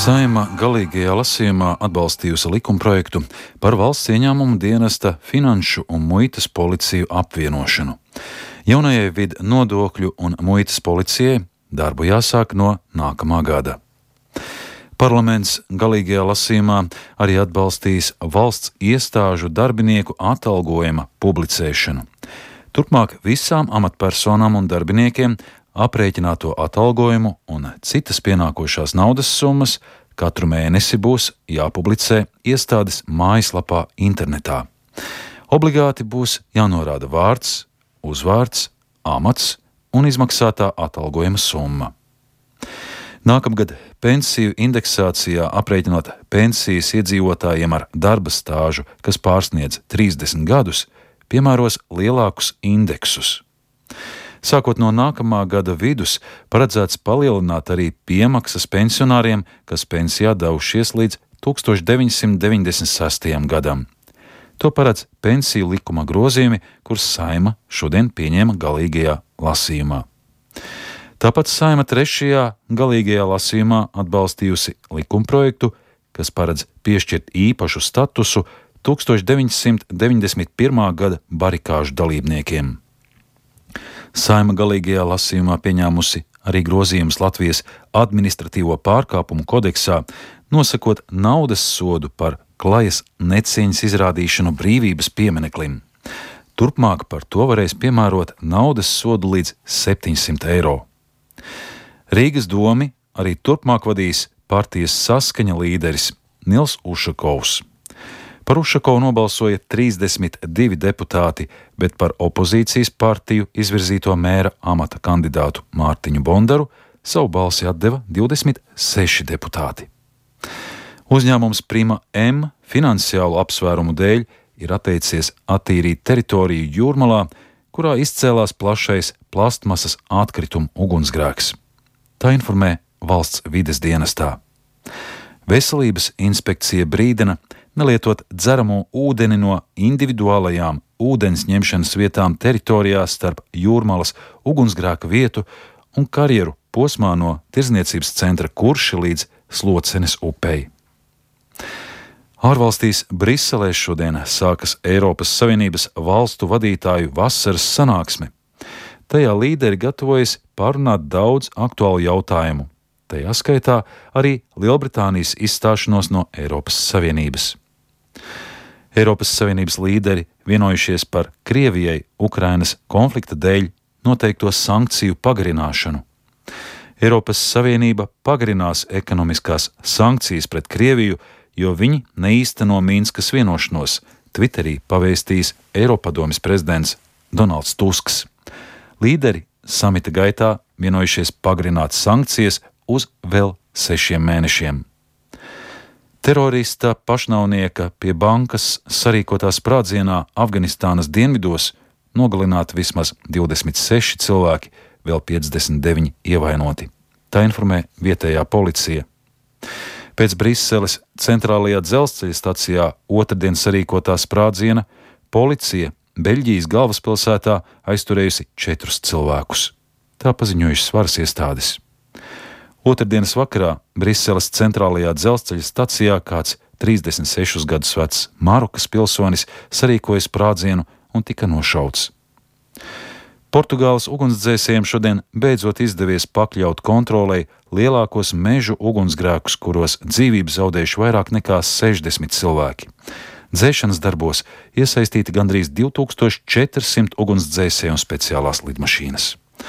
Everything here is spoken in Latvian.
Saeima galīgajā lasījumā atbalstījusi likumprojektu par valsts ieņēmumu dienesta finanšu un muitas policiju apvienošanu. Jaunajai vidu nodokļu un muitas policijai darbu jāsāk no nākamā gada. Parlaments galīgajā lasījumā arī atbalstīs valsts iestāžu darbinieku atalgojuma publicēšanu. Turpmāk visām amatpersonām un darbiniekiem aprēķināto atalgojumu un citas pienākošās naudas summas katru mēnesi būs jāpublicē iestādes mājaslapā internetā. Obligāti būs jānorāda vārds, uzvārds, amats un izmaksātā atalgojuma summa. Nākamgad pensiju indeksācijā aprēķinot pensijas iedzīvotājiem ar darba stāžu, kas pārsniedz 30 gadus, piemēros lielākus indeksus. Sākot no nākamā gada vidus, paredzēts palielināt arī piemaksas pensionāriem, kas pensijā devušies līdz 1996. gadam. To paredz pensiju likuma grozījumi, kurus Saeima šodien pieņēma galīgajā lasījumā. Tāpat Saeima 3. galīgajā lasījumā atbalstījusi likumprojektu, kas paredz piešķirt īpašu statusu 1991. gada barikāžu dalībniekiem. Saeima galīgajā lasījumā pieņēmusi arī grozījumus Latvijas administratīvo pārkāpumu kodeksā, nosakot naudas sodu par klajas necieņas izrādīšanu brīvības piemineklim. Turpmāk par to varēs piemērot naudas sodu līdz 700 eiro. Rīgas domi arī turpmāk vadīs partijas Saskaņa līderis Nils Ušakovs. Par Ušakovu nobalsoja 32 deputāti, bet par opozīcijas partiju izvirzīto mēra amata kandidātu Mārtiņu Bondaru savu balsi atdeva 26 deputāti. Uzņēmums Prima M finansiālu apsvērumu dēļ ir atteicies attīrīt teritoriju Jūrmalā, kurā izcēlās plašais plastmasas atkritumu ugunsgrēks. Tā informē valsts vides dienestā. Veselības inspekcija brīdina nelietot dzeramo ūdeni no individuālajām ūdens ņemšanas vietām teritorijās starp Jūrmalas ugunsgrēka vietu un karjeru posmā no tirdzniecības centra Kurši līdz Slocenes upei. Ārvalstīs Briselē šodien sākas Eiropas Savienības valstu vadītāju vasaras sanāksme. Tajā līderi gatavojas pārunāt daudz aktuālu jautājumu. Tajā skaitā arī Lielbritānijas izstāšanos no Eiropas Savienības. Eiropas Savienības līderi vienojušies par Krievijai Ukrainas konflikta dēļ noteikto sankciju pagarināšanu. Eiropas Savienība pagarinās ekonomiskās sankcijas pret Krieviju, jo viņi neīsteno Minskas vienošanos, Twitterī pavēstījis Eiropadomes prezidents Donalds Tusks. Līderi samita gaitā vienojušies pagarināt sankcijas uz vēl 6 mēnešiem. Terorista pašnāvnieka pie bankas sarīkotā sprādzienā Afganistānas dienvidos nogalināti vismaz 26 cilvēki, vēl 59 ievainoti. Tā informē vietējā policija. Pēc Briseles centrālajā dzelzceļa stacijā otrdien sarīkotā sprādziena policija Beļģijas galvaspilsētā aizturējusi 4 cilvēkus. Tā paziņojušas varas iestādes. Otrdienas vakarā Briseles centrālajā dzelzceļa stacijā kāds 36 gadus vecs Marokas pilsonis sarīkoja sprādzienu un tika nošauts. Portugāles ugunsdzēsējiem šodien beidzot izdevies pakļaut kontrolei lielākos mežu ugunsgrēkus, kuros dzīvību zaudējuši vairāk nekā 60 cilvēki. Dzēšanas darbos iesaistīti gandrīz 2400 ugunsdzēsēju un speciālās lidmašīnas.